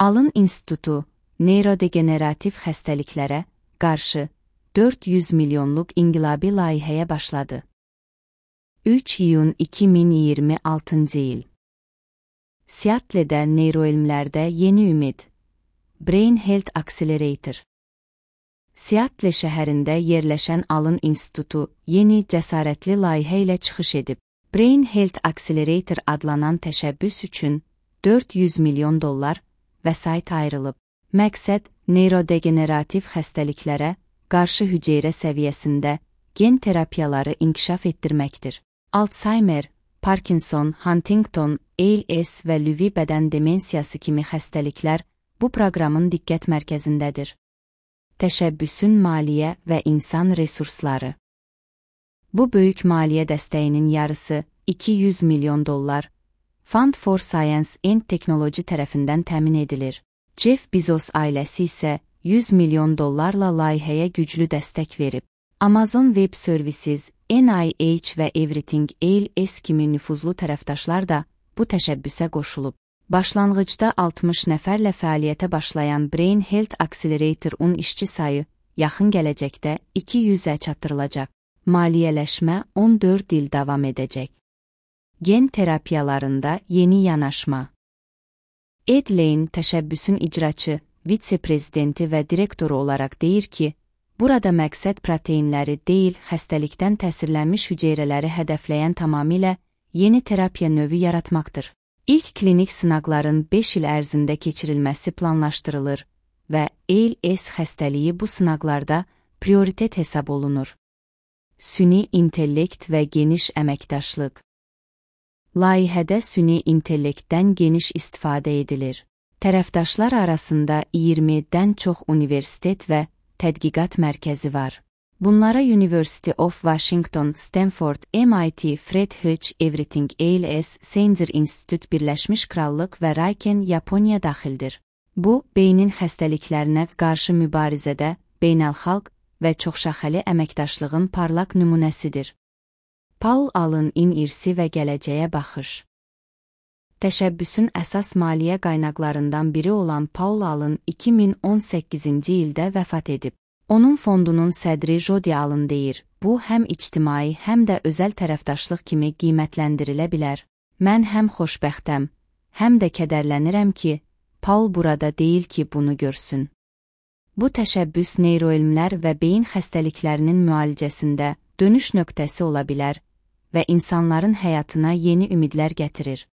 Alın İnstitutu, neyrodegenerativ xəstəliklərə qarşı 400 milyonluq inqilabi layihəyə başladı. 3 iyun 2026 il. Seattle'də neyroelmlərdə yeni ümid. Brain Health Accelerator. Seattle şəhərində yerləşən Alın İnstitutu yeni cəsarətli layihə ilə çıxış edib. Brain Health Accelerator adlanan təşəbbüs üçün $400 milyon vəsait ayrılıb. Məqsəd, neyrodegenerativ xəstəliklərə qarşı hüceyrə səviyyəsində gen terapiyaları inkişaf etdirməkdir. Alzheimer, Parkinson, Huntington, ALS və Lewy bədən demensiyası kimi xəstəliklər bu proqramın diqqət mərkəzindədir. Təşəbbüsün maliyyə və insan resursları. Bu böyük maliyyə dəstəyinin yarısı $200 milyon Fund for Science and Technology tərəfindən təmin edilir. Jeff Bezos ailəsi isə $100 milyon layihəyə güclü dəstək verib. Amazon Web Services, NIH və Everything ALS kimi nüfuzlu tərəfdaşlar da bu təşəbbüsə qoşulub. Başlanğıcda 60 nəfərlə fəaliyyətə başlayan Brain Health Accelerator-un işçi sayı yaxın gələcəkdə 200-ə çatdırılacaq. Maliyyələşmə 14 il davam edəcək. Gen terapiyalarında yeni yanaşma. Ed Lane təşəbbüsün icraçı, vitse-prezidenti və direktoru olaraq deyir ki, burada məqsəd proteinləri deyil, xəstəlikdən təsirlənmiş hüceyrələri hədəfləyən tamamilə yeni terapiya növü yaratmaqdır. İlk klinik sınaqların 5 il ərzində keçirilməsi planlaşdırılır və ALS xəstəliyi bu sınaqlarda prioritet hesab olunur. Süni intellekt və geniş əməkdaşlıq. Layihədə süni intellektdən geniş istifadə edilir. Tərəfdaşlar arasında 20-dən çox universitet və tədqiqat mərkəzi var. Bunlara University of Washington, Stanford, MIT, Fred Hutch, Everything ALS, Sanger Institute, Birləşmiş Krallıq və Riken, Yaponiya daxildir. Bu, beynin xəstəliklərinə qarşı mübarizədə beynəlxalq və çoxşaxəli əməkdaşlığın parlaq nümunəsidir. Paul Allen-in irsi və gələcəyə baxış. Təşəbbüsün əsas maliyyə qaynaqlarından biri olan Paul Allen 2018-ci ildə vəfat edib. Onun fondunun sədri Jody Allen deyir, bu həm ictimai, həm də özəl tərəfdaşlıq kimi qiymətləndirilə bilər. Mən həm xoşbəxtəm, həm də kədərlənirəm ki, Paul burada deyil ki, bunu görsün. Bu təşəbbüs neyroelmlər və beyin xəstəliklərinin müalicəsində dönüş nöqtəsi ola bilər və insanların həyatına yeni ümidlər gətirir.